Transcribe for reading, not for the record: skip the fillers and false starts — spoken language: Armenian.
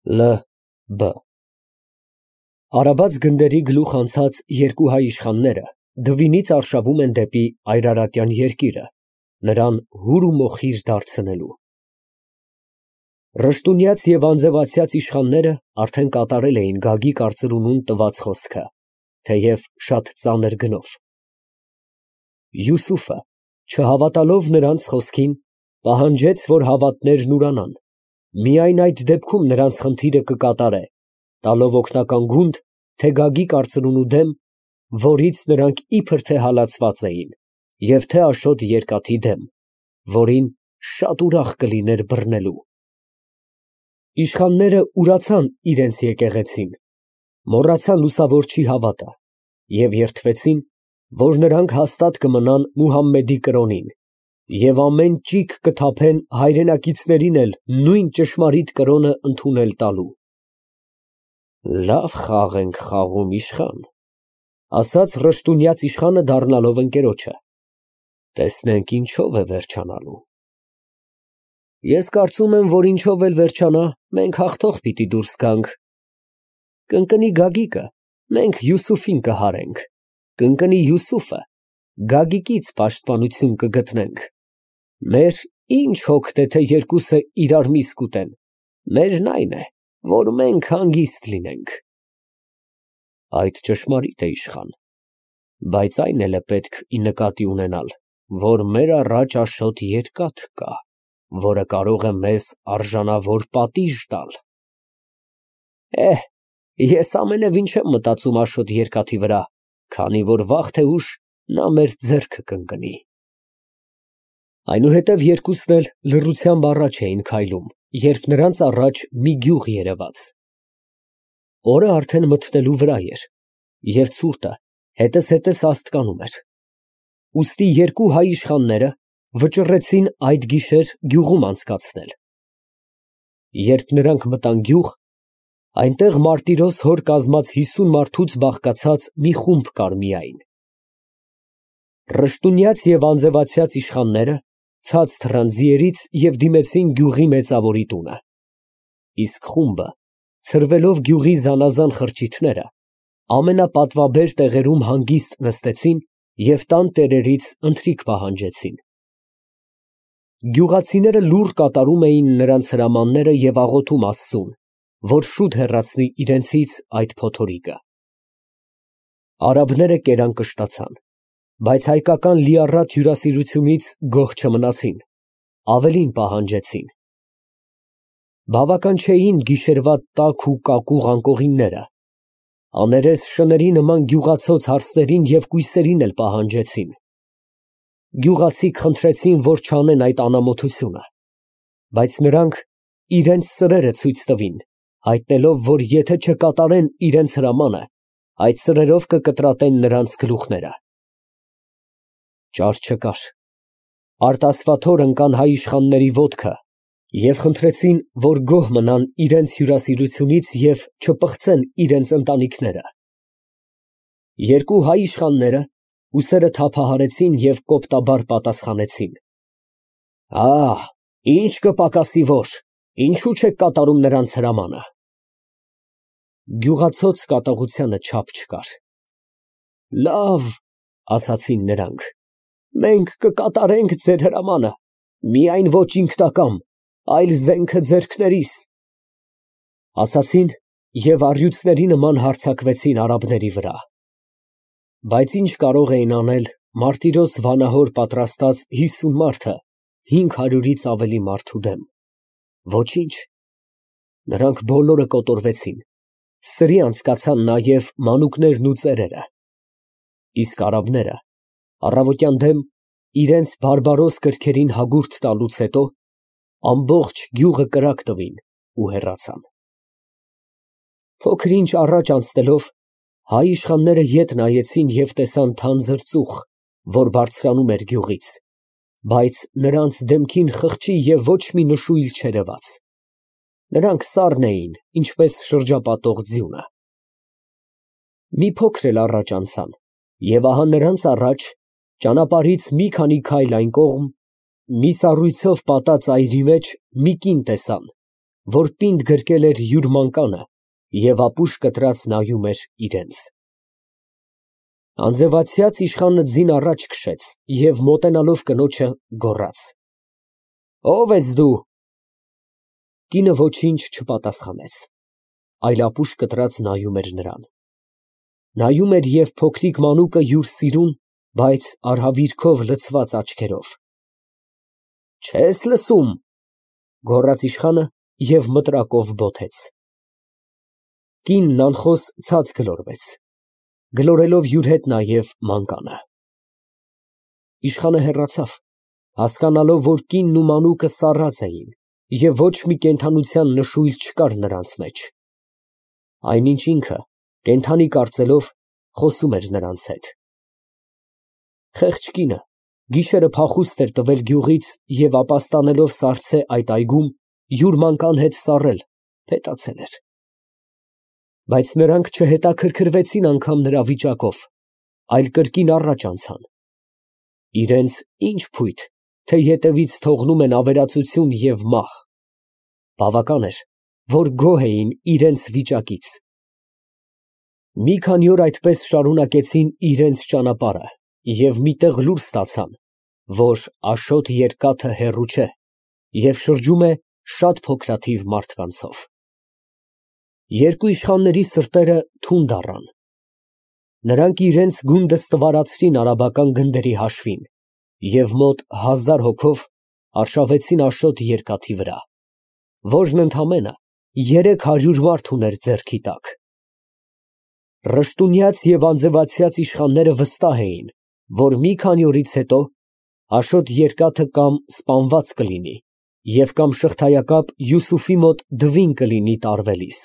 L. B. Արաբած գնդերի գլուխ անցած երկու հայ իշխանները դվինից արշավում են դեպի Այրարատյան երկիրը, նրան հուր ու մոխիր դարձնելու։ Ռշտունյաց և անձևացյաց իշխանները արդեն կատարել էին Գագիկ արծրունուն տված խոսքը, թեև շատ ծանր գնով։ Յուսուֆը, չհավատալով նրանց խոսքին, պահանջեց, որ հավատներն ուրանան, միայն այդ դեպքում նրանց խնդիրը կկատարե, տալով օգնական գունդ, թե Գագիկ արծրունու դեմ, որից նրանք իբր թե հալածված էին, և թե Աշոտ երկաթի դեմ, որին շատ ուրախ կլիներ բռնելու։ Իշխանները ուրացան իրենց եկեղեցին, մոռացան լուսավորչի հավատը և երդվեցին, որ նրանք հաստատ կմնան Մուհամմեդի կրոնին և ամեն ճիգ կթափեն հայրենակիցներին էլ նույն ճշմարիտ կրոնը ընդունել տալու։ Լավ խաղ ենք խաղում, իշխան, ասաց ռշտունյաց իշխանը դառնալով ընկերոջը, տեսնենք ինչով է վերջանալու։ Ես կարծում եմ, որ ինչով էլ վերջանա, մենք հաղթող պիտի դուրս գանք։ Կընկնի Գագիկը, մենք Յուսուֆին կհարենք, կընկնի Յուսուֆը, Գագիկից պաշտպանություն կգտնենք։ Մեր ինչ հոգ թե երկուսը իրար միս կուտեն, մերն այն է, որ մենք հանգիստ լինենք։ Այդ ճշմարիտ է, իշխան, բայց այն էլ է պետք ի նկատի ունենալ, որ մեր առաջ Աշոտ երկաթ կա, որը կարող է մեզ արժանավոր պատիժ տալ։ Ես ամենևին չեմ մտածում Աշոտ երկաթի վրա, քանի որ վաղ թե ուշ նա մեր ձեռքը կընկնի։ Այնուհետև երկուսն էլ լռությամբ առաջ էին քայլում, երբ նրանց առաջ մի գյուղ երևաց։ Օրը արդեն մթնելու վրա էր, և ցուրտը հետզհետե աստկանում էր։ Ուստի երկու հայ իշխանները վճռեցին այդ գիշեր գյուղում անցկացնել։ Երբ նրանք մտան գյուղ, այնտեղ մարտիրոս հոր կազմած 50 մարդուց բաղկացած մի խումբ կար միայն։ Ռշտունյաց և անձևացյաց իշխանները ցած թռան ձիերից և դիմեցին գյուղի մեծավորի տունը, իսկ խումբը, ցրվելով գյուղի զանազան խրճիթները, ամենապատվաբեր տեղերում հանգիստ նստեցին և տան տերերից ընթրիք պահանջեցին։ Գյուղացիները լուռ կատարում էին նրանց հրամանները և աղոթում Աստծուն, որ շուտ հեռացնի իրենցից այդ փոթորիկը։ Արաբները կերան կշտացան, բայց հայկական լիառատ հյուրասիրությունից գոհ չմնացին, ավելին պահանջեցին։ Բավական չէին գիշերվա տաք ու կակուղ անկողինները, աներես շների նման գյուղացոց հարսներին և կույսերին էլ պահանջեցին։ Գյուղացիք խնդրեցին, որ չանեն այդ անամոթությունը, բայց նրանք իրենց սրերը ցույց տվին, հայտնելով, որ եթե չկատարեն իրենց հրամանը, այդ սրերով կկտրատեն նրանց գլուխները։ Ճար չկար, արտասվաթոր ընկան հայ իշխանների ոտքը և խնդրեցին, որ գոհ մնան իրենց հյուրասիրությունից և չպղծեն իրենց ընտանիքները։ Երկու հայ իշխանները ուսերը թափահարեցին և կոպտաբար պատասխանեցին. Ինչ կպակասի, որ, ինչու չեք կատարում նրանց հրամանը։ Գյուղացոց կատաղությանը չափ չկար։ Լավ, ասացին նրանք, մենք կկատարենք ձեր հրամանը, միայն ոչ ինքնակամ, այլ զենքը ձեռքներիս, ասացին և առյուծների նման հարձակվեցին արաբների վրա։ Բայց ինչ կարող էին անել մարտիրոս վանահոր պատրաստած 50 մարդը 500-ից ավելի մարդու դեմ։ Ոչինչ, նրանք բոլորը կոտորվեցին, սրի անցկացան նաև մանուկներն ու ծերերը, իսկ արաբները առավոտյան դեմ իրենց բարբարոս կրքերին հագուրդ տալուց հետո ամբողջ գյուղը կրակ տվին ու հեռացան։ Փոքր ինչ առաջ անցնելով, հայ իշխանները ետ նայեցին և տեսան թանձր ծուխ, որ բարձրանում էր գյուղից, բայց նրանց դեմքին խղճի և ոչ մի նշույլ չերևաց։ Նրանք սառն էին, ինչպես շրջապատող ձյունը։ Մի փոքր էլ առաջ անցան, և ահա նրանց առաջ, ճանապարհից մի քանի քայլ այն կողմ, մի սառույցով պատած այրի մեջ մի կին տեսան, որ պինդ գրկել էր յուր մանկանը և ապուշ կտրած նայում էր իրենց։ Անձևացած իշխանը ձին առաջ քշեց և մոտենալով կնոջը գոռաց. «Ո՞վ ես դու»։ Կինը ոչինչ չպատասխանեց, այլ ապուշ կտրած նայում էր նրան։ Նայում էր և փոքրիկ մանուկը յուր սիրուն, բայց արհավիրքով լցված աչքերով։ «Չե՞ս լսում», գոռաց իշխանը և մտրակով բոթեց։ Կինն անխոս ցած գլորվեց, գլորելով յուր հետ նաև մանկանը։ Իշխանը հեռացավ, հասկանալով, որ կինն ու մանուկը սառած էին և ոչ մի կենդանության նշույլ չկար նրանց մեջ։ Այնինչ ինքը, կենդանի կարծելով, խոսում էր նրանց հետ։ Խեղճ կինը գիշերը փախուստ էր տվել գյուղից և ապաստանելով սառցե այդ այգում, յուր մանկան հետ սառել, փետացել էր։ Բայց նրանք չհետաքրքրվեցին անգամ նրա վիճակով, այլ կրկին առաջ անցան։ Իրենց ինչ փույթ, թե ետևից թողնում են ավերածություն և մահ։ Բավական էր, որ գոհ էին իրենց վիճակից։ Մի քանի օր այդպես շարունակեցին իրենց ճանապարհը և մի տեղ լուր ստացան, որ Աշոտ երկաթը հեռու չէ և շրջում է շատ փոքրաթիվ մարդկանցով։ Երկու իշխանների սրտերը թունդ առան։ Նրանք իրենց գունդը ստվարացրին արաբական գնդերի հաշվին և մոտ 1000 հոգով արշավեցին Աշոտ երկաթի վրա, որն ընդամենը 300 մարդ ուներ ձեռքի տակ։ Ռշտունյաց և անձևացած իշխանները վստահ էին, որ մի քանի օրից հետո Աշոտ երկաթը կամ սպանված կլինի և կամ շղթայակապ Յուսուֆի մոտ դվին կլինի տարվելիս։